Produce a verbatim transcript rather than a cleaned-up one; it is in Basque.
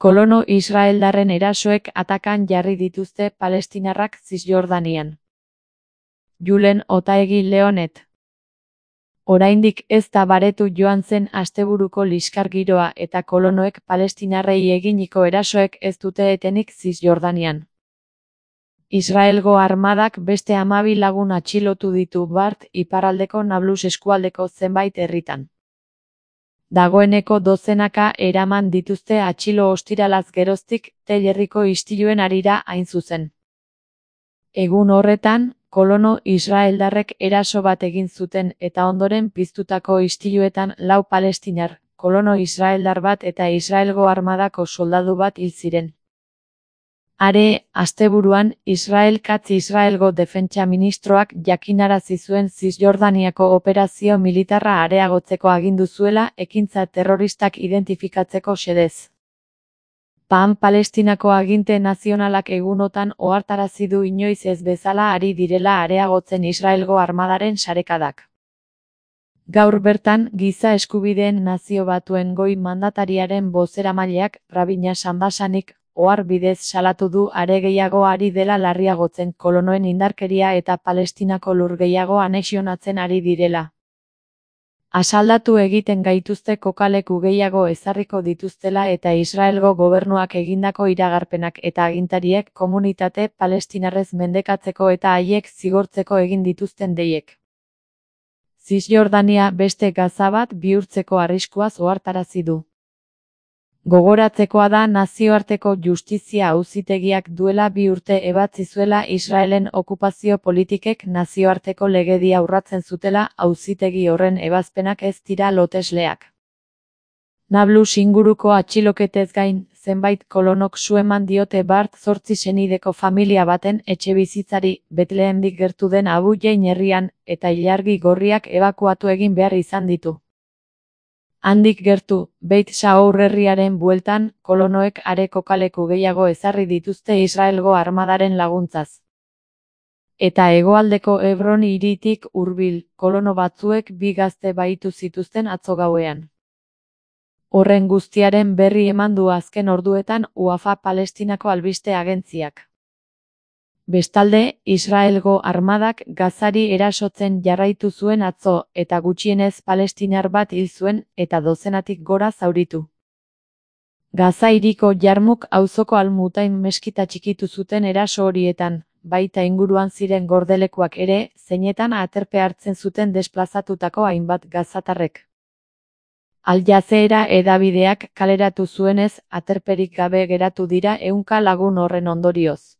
Kolono israeldarren erasoek atakan jarri dituzte palestinarrak Zisjordanian. Julen Otaegi Leonet. Oraindik ez da baretu joan zen asteburuko liskar giroa eta kolonoek palestinarrei eginiko erasoek ez dute etenik Zisjordanian. Israelgo armadak beste hamabi lagun atxilotu ditu bart iparraldeko Nablus eskualdeko zenbait herritan. Dagoeneko dozenaka eraman dituzte atxilo ostiralaz geroztik Tel Herriko istiluen harira hain zuzen. Egun horretan, kolono israeldarrek eraso bat egin zuten eta ondoren piztutako istiluetan lau palestinar, kolono israeldar bat eta Israelgo armadako soldadu bat hil ziren. Are, asteburuan, Israel Katz Israelgo defentsa ministroak jakinarazi zuen Zisjordaniako operazio militarra areagotzeko agindu zuela ekintza terroristak identifikatzeko xedez. Pan Palestinako aginte nazionalak egunotan ohartarazi du inoiz ez bezala ari direla areagotzen Israelgo armadaren sarekadak. Gaur bertan, Giza Eskubideen Nazio Batuen Goi Mandatariaren bozeramaileak, Rabina Sanbasanik, ohar bidez salatu du are gehiago ari dela larriagotzen kolonoen indarkeria eta Palestinako lur gehiago anexionatzen ari direla. Asaldatu egiten gaituzte kokaleku gehiago ezarriko dituztela eta Israelgo gobernuak egindako iragarpenak eta agintariek komunitate palestinarrez mendekatzeko eta haiek zigortzeko egin dituzten deiek. Zisjordania beste Gaza bat bihurtzeko arriskuaz ohartarazi du. Gogoratzekoa da nazioarteko justizia auzitegiak duela bi urte ebatzi zuela Israelen okupazio politikek nazioarteko legedia urratzen zutela auzitegi horren ebazpenak ez dira lotesleak. Nablus inguruko atxiloketez gain, zenbait kolonok su eman diote bart zortzi senideko familia baten etxebizitzari Betlehendik gertu den Abu Jain herrian eta ilargi gorriak ebakuatu egin behar izan ditu. Handik gertu, Beit Saour herriaren bueltan, kolonoek are kokaleku gehiago ezarri dituzte Israelgo armadaren laguntzaz. Eta hegoaldeko Hebron hiritik hurbil, kolono batzuek bi gazte bahitu zituzten atzo gauean. Horren guztiaren berri eman du azken orduetan Wafa Palestinako albiste agentziak. Bestalde, Israelgo armadak Gazari erasotzen jarraitu zuen atzo eta gutxienez palestinar bat hil zuen eta dozenatik gora zauritu. Gaza hiriko Jarmuk auzoko Al-Mutain meskita txikitu zuten eraso horietan, baita inguruan ziren gordelekuak ere, zeinetan aterpe hartzen zuten desplazatutako hainbat gazatarrek. Al Jazeera hedabideak kaleratu zuenez, aterperik gabe geratu dira ehunka lagun horren ondorioz.